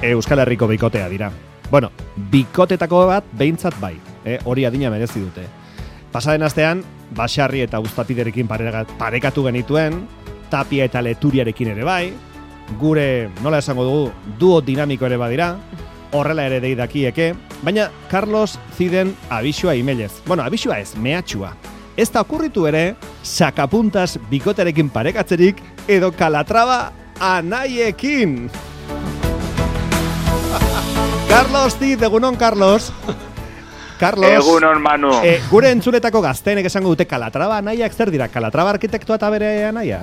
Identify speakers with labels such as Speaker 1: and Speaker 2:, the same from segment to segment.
Speaker 1: Euskal Herriko bikotea dira. Bueno, bikotetako bat behintzat bai, hori adina merezi dute. Pasaden astean, Basarri eta Uztapiderekin parekatu genituen, Tapia eta Leturiarekin ere bai, gure, nola esango dugu, duo dinamiko ere badira, horrela ere deidakieke, baina Carlos ziden abisua imelez. Bueno, abisua ez, mehatxua. Ez da okurritu ere, Sakapuntas bikotearekin parekatzerik edo Kalatrava anaiekin. Carlos Zid, egunon, Carlos. Carlos.
Speaker 2: Egunon, Manu.
Speaker 1: Gure entzuletako gazteenek esango dute Kalatrava anaiak zer dira? Kalatrava arkitektua eta bere anaia?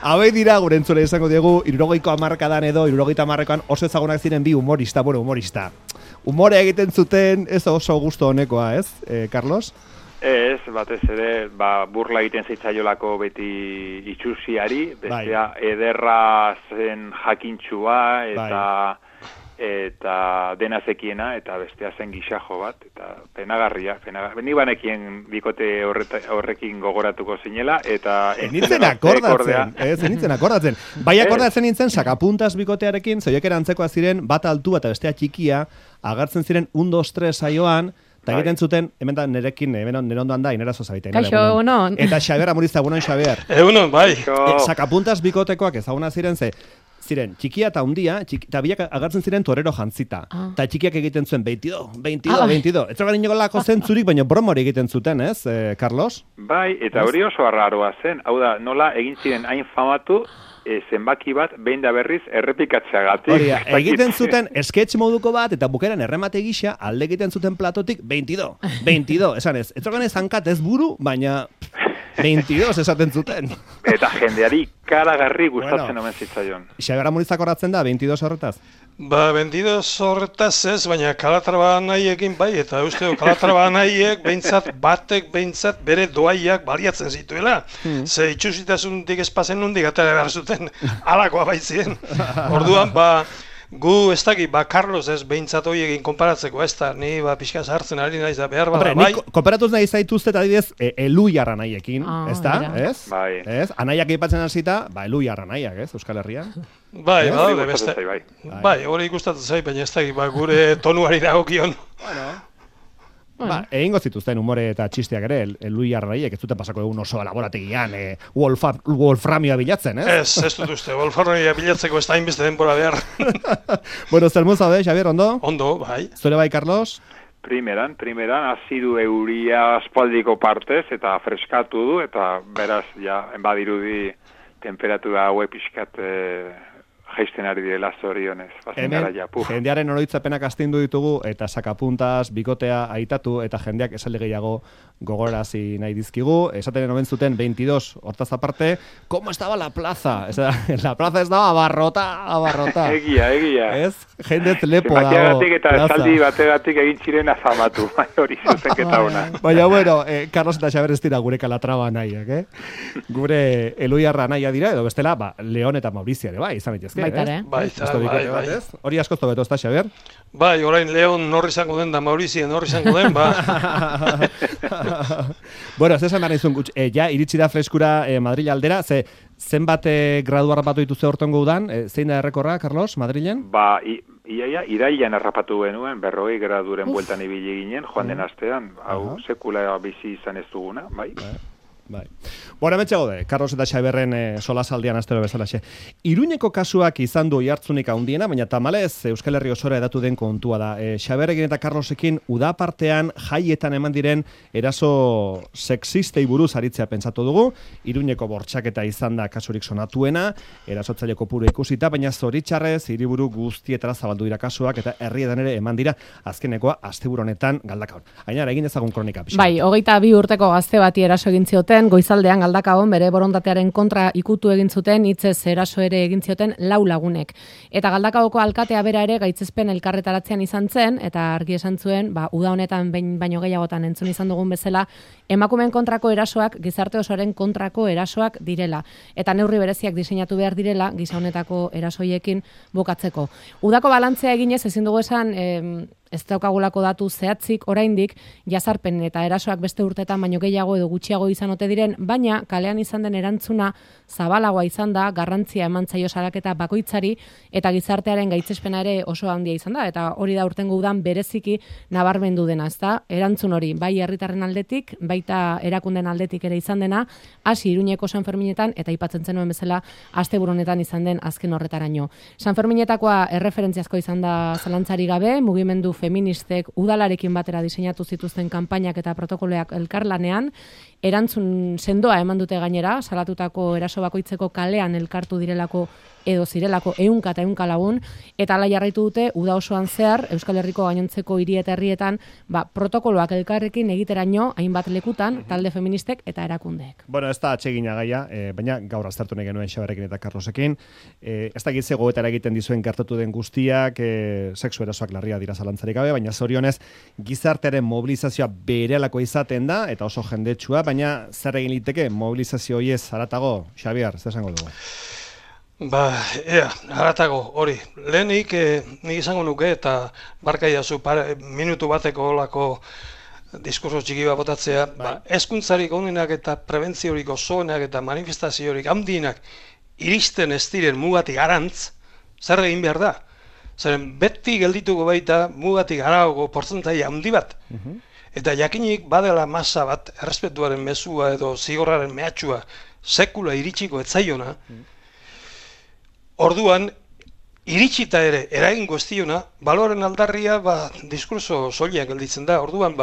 Speaker 1: Habe dira gure entzule esango diegu 70 edo 70ean oso ezagunak ziren bi humorista. Humore egiten zuten ez oso gusto honekoa, ez, Carlos?
Speaker 2: Ez, batez ere, burla egiten zitzaiolako beti itxusiari, bestea ederra zen jakintxua eta dena zekiena, eta bestea zen gixajo bat, eta penagarria. Ni banekien bikote horrekin gogoratuko zinela, eta...
Speaker 1: Enitzen akordatzen. Bai akordatzen nintzen, Sakapuntas bikotearekin, zoiek erantzekoa ziren, bat altua eta bestea txikia, agartzen ziren 1, 2, 3 saioan, eta egiten zuten, hemen da nerekin, nire ondoan da, inera zozabite.
Speaker 3: Kaixo, egunon.
Speaker 1: Eta Xabier Amuriza, egunon, Xabier.
Speaker 4: Egunon, bai.
Speaker 1: Sakapuntas bikotekoak ezaguna ziren txikia eta hundia, eta biak agartzen ziren torero jantzita. Eta txikiak egiten zuen 22. Ez zogan inolako zentzurik, baina bromori egiten zuten, ez, Carlos?
Speaker 2: Bai, eta hori oso arraroa zen. Hau da, nola egin ziren hain famatu, zenbaki bat, behin da berriz, errepikatzeagatik.
Speaker 1: Hori, egiten zuten sketch moduko bat, eta bukeran erremate gisa, alde egiten zuten platotik 22. Esan ez zogan ez hankat ez buru, baina... 22 esaten zuten.
Speaker 2: Eta jendeari karagarri gustatzen omen zitzaion.
Speaker 1: Xabier Amurizak horatzen da, 22 horretaz?
Speaker 4: 22 horretaz ez, baina Kalatrava anaiekin bai, eta usteo Kalatrava anaiek behintzat bere doaiak baliatzen zituela. Ze itxusitasuntik espazen nundik atera behar zuten, alakoa baitzien. Orduan, gu ez dakit, Carlos ez behintzat hoiegin konparatzeko, ez da, ni pixka sartzen ari naiz da behar bada, bai.
Speaker 1: Ni konparatuz nahi zaituzte eta adibidez Eluiar anaiekin, ez da, ez?
Speaker 2: Bai.
Speaker 1: Ez? Anaiak aipatzen hasita, Eluiar anaiak, ez, Euskal Herrian?
Speaker 4: Bai, beste. Bai, hori gustatzen zait, baina ez dakit, gure tonuari dagokion.
Speaker 1: Egingo zituzten humore eta txisteak ere, Eluiar anaiek ez duten pasako egun oso laborategian wolframioa bilatzen, ez?
Speaker 4: Ez dut uste, wolframioa bilatzeko ez da hainbeste denbora behar.
Speaker 1: Bueno, zer zaude, Xabier, ondo?
Speaker 4: Ondo, bai.
Speaker 1: Zure bai, Carlos?
Speaker 2: Primeran, azidu euria aspaldiko partez, eta freskatu du, eta beraz, badirudi temperatura haue pixkat jaisten ari direla zorionez.
Speaker 1: Hemen, jendearen oroitzapenak astindu ditugu, eta Sakapuntas bikotea aitatu, eta jendeak esaldi gehiago gogorarazi nahi dizkigu. Esaten omen zuten 22 hortaz aparte, ¿cómo estaba la plaza? La plaza estaba abarrota.
Speaker 2: Egia.
Speaker 1: Ez? Jendet lepo dago.
Speaker 2: Bateagatik eta esaldi bategatik egin ziren afamatu. Hori zuzenketa ona.
Speaker 1: Baina, bueno, Carlos eta Xabier ez dira gure Kalatrava nahiak, Gure Eluiarra naia dira, edo bestela, Leon eta Maurizia ere, bai, izan itezke.
Speaker 4: Bai.
Speaker 1: Hori asko zobeto, ez da, Xabier?
Speaker 4: Bai, orain Leon norri izango den da Maurizia norri izango den,
Speaker 1: Bueno, ez esan behar nizun, iritsi da freskura Madrid aldera, zenbat gradu harrapatu dituze hortongo udan, zein da errekorra, Carlos, Madrilen?
Speaker 2: Irailan harrapatu genuen, 40 graduren bueltan ibili ginen, joan den astean, hau sekula bizi izan ez duguna, bai.
Speaker 1: Bai. Bueno, hemen txegode, Carlos eta Xaberren solasaldian astero bezalaxe. Iruñeko kasuak izan du oihartzunik handiena, baina tamalez Euskal Herri osora edatu den kontua da. Xaberrekin eta Carlosekin uda partean jaietan eman diren eraso sexistei buruz aritzea pentsatu dugu. Iruñeko bortxaketa izan da kasurik sonatuena, erasotzaile kopuru ikusita, baina zoritxarrez hiriburu guztietara zabaldu dira kasuak eta herrietan ere eman dira azkenekoa asteburu honetan Galdakaon. Ainara, egin ezagun kronika pixka.
Speaker 3: Bai, 22 urteko gazte bati eraso egin zioten, goizaldean Galdakaon bere borondatearen kontra ikutu egin zuten, hitzez eraso ere egin zioten 4 lagunek. Eta Galdakaoko alkatea bera ere gaitzespen elkarretaratzean izan zen, eta argi esan zuen, uda honetan baino gehiagotan entzun izan dugun bezala, emakumeen kontrako erasoak gizarte osoaren kontrako erasoak direla. Eta neurri bereziak diseinatu behar direla gisa honetako erasoiekin bukatzeko. Udako balantzea eginez ezin dugu esan ez daukagulako datu zehatzik oraindik jazarpen eta erasoak beste urteetan baino gehiago edo gutxiago izan ote diren, baina kalean izan den erantzuna zabalagoa izan da, garrantzia eman zaio salaketa bakoitzari eta gizartearen gaitzespena ere oso handia izan da, eta hori da urtengo udan bereziki nabarmendu dena, ezta? Erantzun hori, bai herritarren aldetik, baita erakunden aldetik ere izan dena, hasi Iruñeko San Ferminetan eta aipatzen zenuen bezala asteburu honetan izan den azken horretaraino. San Ferminetakoa erreferentziazko izan da zalantzari gabe, mugimendu feministek udalarekin batera diseinatu zituzten kanpainak eta protokoloak elkarlanean, erantzun sendoa eman dute gainera, salatutako eraso bakoitzeko kalean elkartu direlako edo zirelako ehunka eta ehunka lagun, eta hala jarraitu dute uda osoan zehar Euskal Herriko gainontzeko hiri eta herrietan protokoloak elkarrekin egiteraino hainbat lekutan talde feministek eta erakundeek.
Speaker 1: Bueno, ez da atsegina gaia, baina gaur aztertu nahi genuen Xaberrekin eta Carlosekin. Ez da gitze goetara egiten dizuen gertatu den guztiak, sexu erasoak larria dira zalantzarik gabe, baina zorionez gizartearen mobilizazioa berelako izaten da, eta oso jendetsua, baina zer egin liteke mobilizazio horiez haratago, Xabier, zer esango dugu?
Speaker 4: Haratago, hori. Lehenik, nik izango nuke, eta barkaiazu minutu bateko olako diskurso txiki bat botatzea, hezkuntzarik onenak eta prebentziorik osoenak eta manifestaziorik handienak iristen ez diren mugatik arantz, zer egin behar da? Zeren beti geldituko baita mugatik arago portzentaia handi bat. Eta jakinik badela masa bat, errespetuaren mezua edo zigorraren mehatxua sekula iritsiko etzaiona, orduan, iritsita ere eragingo ez diona, baloren aldarria diskurso soilean gelditzen da. Orduan,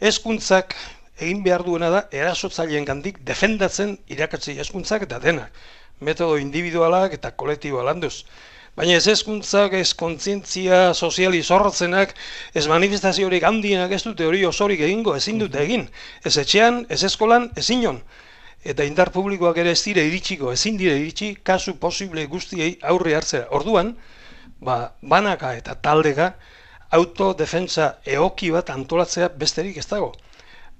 Speaker 4: hezkuntzak egin behar duena da erasotzaileen gandik defendatzen irakatsi hezkuntzak eta denak. Metodo individualak eta kolektiboa landuz. Baina ez hezkuntzak, ez kontzientzia soziali zorrotzenak, ez manifestaziorik handienak ez dute hori osorik egingo, ezin dute egin. Ez etxean, ez eskolan, ez inon. Eta indar publikoak ere ez dire iritsiko, ezin dire iritsi, kasu posible guztiei aurre hartzera. Orduan, banaka eta taldeka autodefentsa egoki bat antolatzea besterik ez dago.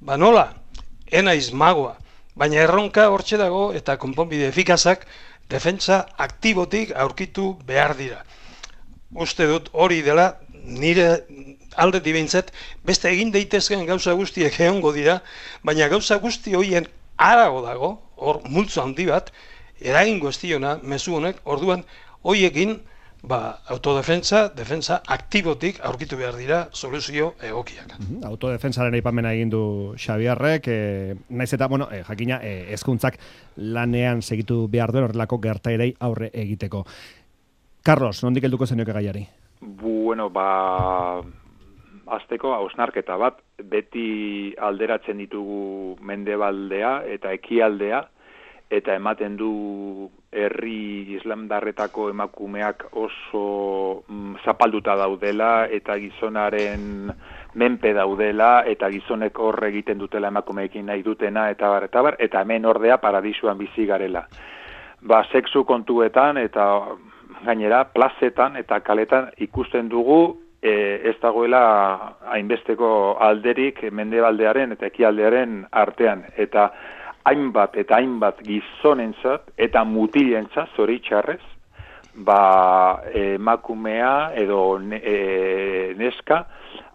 Speaker 4: Nola, enaiz magoa, baina erronka hortxe dago eta konponbide efikazak defentsa aktibotik aurkitu behar dira. Uste dut hori dela nire aldetik behintzat beste egin daitezkeen gauza guztiek egongo dira, baina gauza guzti horien harago dago, hor multzo handi bat, eragingo ez diona mezu honek, orduan hoiekin autodefentsa, defentsa aktibotik aurkitu behar dira soluzio egokiak.
Speaker 1: Autodefentsaren aipamena egin du Xabierrek, naiz eta, jakina, hezkuntzak lanean segitu behar duen horrelako gertaerei aurre egiteko. Carlos, nondik helduko zenioke gaiari?
Speaker 2: Azteko hausnarketa bat, beti alderatzen ditugu mendebaldea eta ekialdea, eta ematen du herri islamdarretako emakumeak oso zapalduta daudela, eta gizonaren menpe daudela, eta gizonek horre egiten dutela emakumeekin nahi dutena, eta hemen ordea paradisuan bizi garela. Sexu kontuetan, eta gainera, plazetan eta kaletan ikusten dugu, ez dagoela hainbesteko alderik mendebaldearen eta ekialdearen artean. Eta hainbat gizonentzat eta mutilentzat zoritxarrez, emakumea edo neska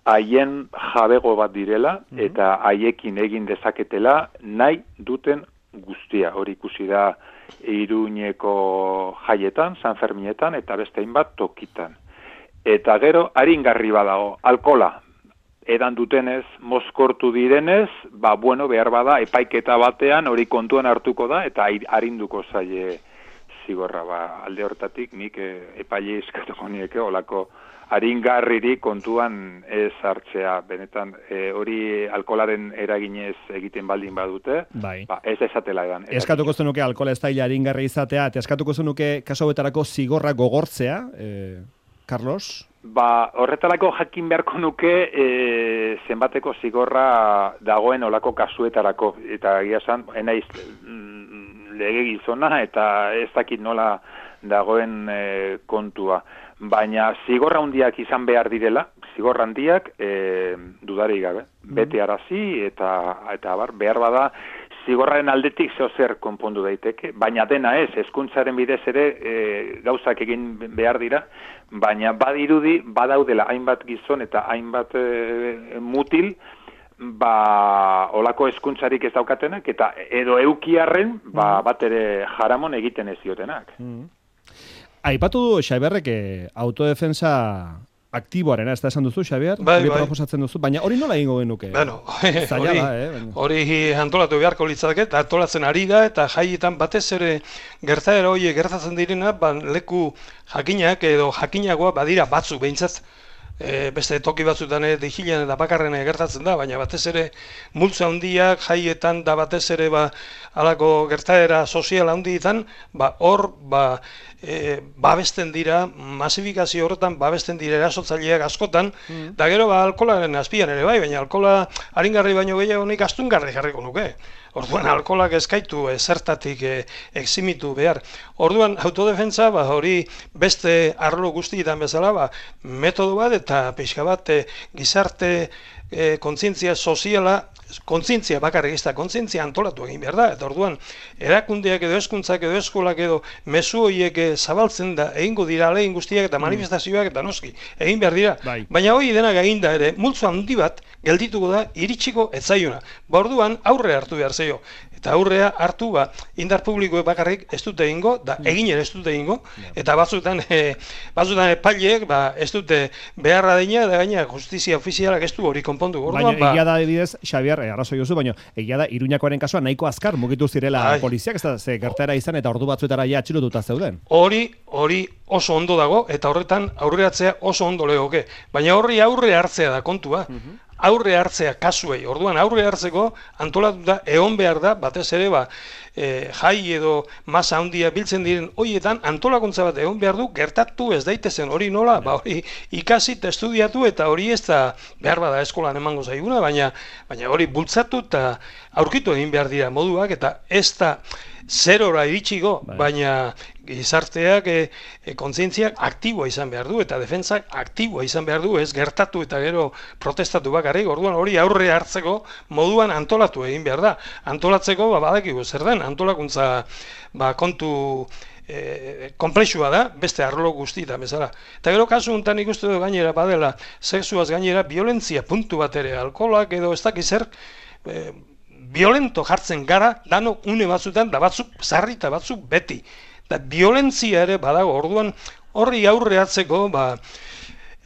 Speaker 2: haien jabego bat direla eta haiekin egin dezaketela nahi duten guztia. Hori ikusi da Iruñeko jaietan, San Ferminetan eta beste hainbat tokitan. Eta gero, aringarri badago, alkola. Edan dutenez, mozkortu direnez, behar bada, epaiketa batean hori kontuan hartuko da, eta arinduko zaie zigorra. Alde hortatik, nik epaile eskatuko nieke, olako aringarriri kontuan ez hartzea. Benetan, hori alkolaren eraginez egiten baldin badute, ez esatela edan.
Speaker 1: Eskatuko zenuke alkola ez daila aringarri izatea, eta eskatuko zenuke kaso betarako zigorra gogortzea, Carlos?
Speaker 2: Horretarako jakin beharko nuke zenbateko zigorra dagoen olako kasuetarako. Eta egia esan, enaiz lege gizona eta ez dakit nola dagoen kontua. Baina zigorra handiak izan behar direla, zigorra handiak dudarik gabe. Bete arazi eta behar bada zigorraren aldetik zer konpondu daiteke, baina dena ez, hezkuntzaren bidez ere gauzak egin behar dira, baina badirudi badaudela hainbat gizon eta hainbat mutil, olako hezkuntzarik ez daukatenak, eta edo eukiarren bat ere jaramon egiten ez diotenak.
Speaker 1: Aipatu du Xaberrek autodefensa aktiboarena, ez da esan duzu, Xabier?
Speaker 4: Bai.
Speaker 1: Proposatzen duzu, baina hori nola egingo genuke?
Speaker 4: Bueno,
Speaker 1: Zaila
Speaker 4: hori antolatu beharko litzateke, eta antolatzen ari da, eta jaietan batez ere gertaera hori gertatzen direna, leku jakinak edo jakinagoa badira batzuk behintzat, beste toki batzutan digilean eta bakarren gertatzen da, baina batez ere multzo handiak jaietan da batez ere halako gertaera sozial handietan, hor babesten dira, masifikazio horretan babesten dira erasotzaileak askotan, da gero alkolaren azpian ere bai, baina alkola aringarri baino gehiago nik astungarri jarriko nuke. Orduan alkolak ezkaitu zertatik eximitu behar. Orduan autodefentsa hori beste arlo guztietan bezala metodo bat eta pixka bat gizarte kontzientzia soziala, kontzientzia bakarrik ez da, kontzientzia antolatu egin behar da, eta orduan erakundeak edo hezkuntzak edo eskolak edo mezu horiek zabaltzen da, egingo dira alegin guztiak eta manifestazioak eta noski, egin behar dira. Baina hori denak eginda ere, multzo handi bat geldituko da iritsiko etzaiona. Orduan aurre hartu behar zeio. Eta aurrea hartu indar publikoek bakarrik ez dute egingo, da egin ere ez dute egingo, eta batzutan epaileek ez dute beharra deina, eta gaina justizia ofizialak ez du hori konpondu.
Speaker 1: Baina egia da adibidez, Xabier, arrazoi duzu, baina egia da Iruñakoaren kasua nahiko azkar mugitu zirela poliziak, ez da ze gertaera izan eta ordu batzuetara ja atxilotuta zeuden.
Speaker 4: Hori oso ondo dago, eta horretan aurreratzea oso ondo legoke. Baina horri aurre hartzea da kontua. Aurre hartzea kasuei, orduan aurre hartzeko antolatuta egon behar da, batez ere jai edo masa handia biltzen diren horietan antolakuntza bat egon behar du gertatu ez daitezen hori nola, hori ikasi eta estudiatu eta hori ez da behar bada eskolan emango zaiguna, baina hori bultzatu eta aurkitu egin behar dira moduak eta ez da zerora iritsiko, baina gizarteak kontzientziak aktiboa izan behar du eta defentsak aktiboa izan behar du, ez gertatu eta gero protestatu bakarrik, orduan hori aurre hartzeko moduan antolatu egin behar da. Antolatzeko badakigu zer den, antolakuntza kontu komplexua da, beste arlo guztietan bezala. Eta gero kasu honetan ikustu du gainera badela, sexuaz gainera violentzia puntu bat ere, alkoholak edo ez dakiz zer, violento jartzen gara, dano une batzutan, da batzuk sarri eta batzuk beti. Da violentzia ere badago, orduan horri aurre hartzeko,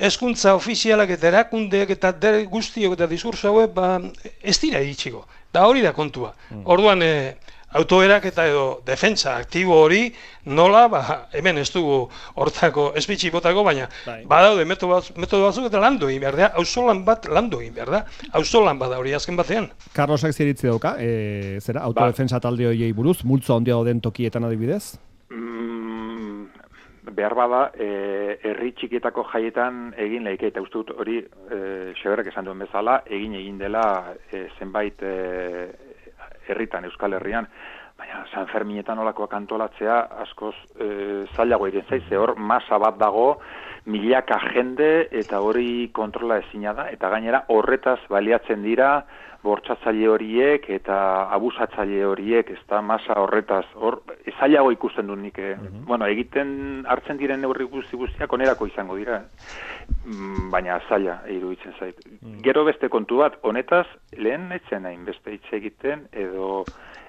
Speaker 4: hezkuntza ofizialak eta erakundeak eta guztiok eta diskurso hauek ez dira iritsiko. Da hori da kontua. Orduan autoerak eta edo defentsa aktibo hori nola, hemen ez dugu hortako espitxi botako, baina badaude metodo batzuk eta landu egin behar da, auzolan bat landu egin behar da, auzolan bada hori azken batean.
Speaker 1: Carlosak ziritzi dauka, zera, autodefensa talde horiei buruz, multzo handia den tokietan adibidez?
Speaker 2: Behar bada, herri txikietako jaietan egin lehike, eta uste dut hori, Xaberrek esan duen bezala, egin dela zenbait herritan, Euskal Herrian, baina San Ferminetan olakoak antolatzea askoz zailago egin zaiz, hor masa bat dago, milaka jende eta hori kontrola ezina da, eta gainera horretaz baliatzen dira bortxatzaile horiek eta abusatzaile horiek, ez da masa horretaz, hor zailago ikusten dut nik, egiten hartzen diren neurri guztiak onerako izango dira, baina zaila iruditzen zait. Gero beste kontu bat, honetaz lehen etzen hain beste hitz egiten, edo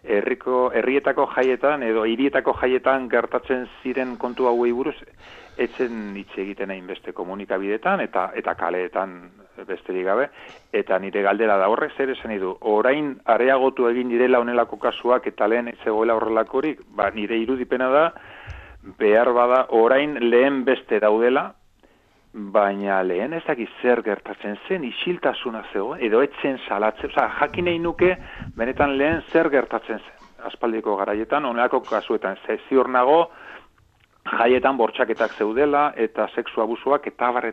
Speaker 2: herrietako jaietan edo hirietako jaietan gertatzen ziren kontu hauei buruz etzen hitz egiten hain beste komunikabidetan eta kaleetan besterik gabe, eta nire galdera da horrek zer esan du, orain areagotu egin direla honelako kasuak eta lehen ez zegoela horrelakorik, nire irudipena da behar bada orain lehen beste daudela, baina lehen ez dakit zer gertatzen zen, isiltasuna zegoen, edo etzen salatzen, jakin nahi nuke, benetan lehen zer gertatzen zen, aspaldiko garaietan, honelako kasuetan, ziur nago, jaietan bortxaketak zeudela, eta sexu abusuak, eta bar,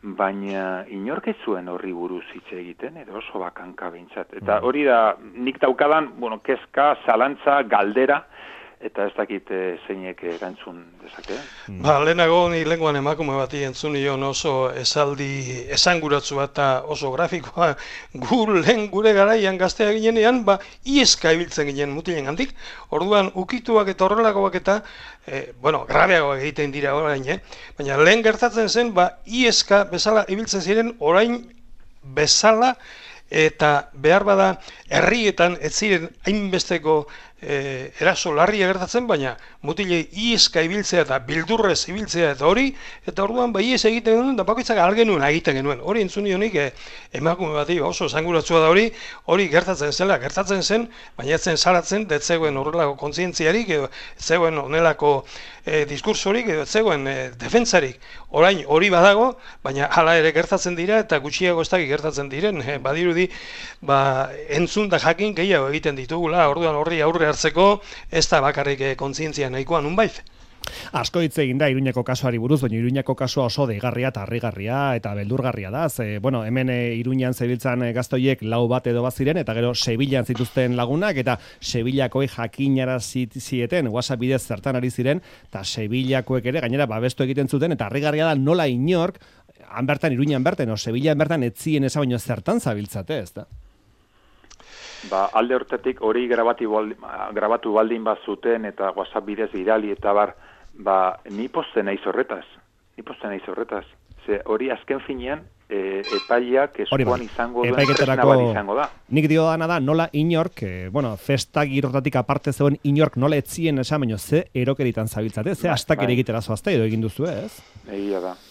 Speaker 2: baina inork ez zuen horri buruz hitz egiten, edo oso bakanka behintzat. Eta hori da, nik daukadan, kezka, zalantza, galdera, eta ez dakit zeinek erantzun dezake.
Speaker 4: Lehenago ni lenguan emakume bati entzun nion oso esaldi esanguratsu bat eta oso grafikoa. Gure garaian gaztea ginenean, ieska ibiltzen ginen mutilen gandik. Orduan, ukituak eta horrelakoak eta, grabeagoak egiten dira orain, baina lehen gertatzen zen, ieska bezala ibiltzen ziren orain bezala, eta behar bada herrietan ez ziren hainbesteko eraso larria gertatzen, baina mutilei ieska ibiltzea eta bildurrez ibiltzea eta hori, eta orduan ies egiten genuen, eta bakoitzak algenuen egiten genuen. Hori entzun nionik emakume bati oso esanguratsua da hori gertatzen zen, baina etzen salatzen, ez zegoen horrelako kontzientziarik, edo ez zegoen honelako diskursorik, edo ez zegoen defentsarik. Orain hori badago, baina hala ere gertatzen dira, eta gutxiago ez dakik gertatzen diren, badirudi, entzun da jakin gehiago egiten ditugula, orduan horri aurre hartzeko ez da bakarrik kontzientzia nahikoa nunbait.
Speaker 1: Asko hitz egin da Iruñako kasuari buruz, baina Iruñako kasua oso deigarria eta harrigarria eta beldurgarria da. Hemen Iruñan zebiltzan gaztoiek 4 bat edo bat ziren, eta gero Sevillan zituzten lagunak, eta Sevillakoi jakinarazi zieten WhatsApp bidez zertan ari ziren, eta Sevillakoek ere gainera babestu egiten zuten, eta harrigarria da nola inork, Iruñan bertan, o Sevillan bertan etzien eza baino zertan zabiltzate, ez da?
Speaker 2: Alde hortatik hori grabatu baldin bat zuten eta WhatsApp bidez bidali eta ni posten naiz horretaz. Ze hori azken finean epaileak eskuan izango duen tresna bat izango da.
Speaker 1: Nik dio dana da nola inork, festa girotatik aparte zegoen inork nola etzien esan baino ze erokeritan zabiltzate, ze astak ere egitera zoazte edo egin duzu ez?
Speaker 2: Egia da.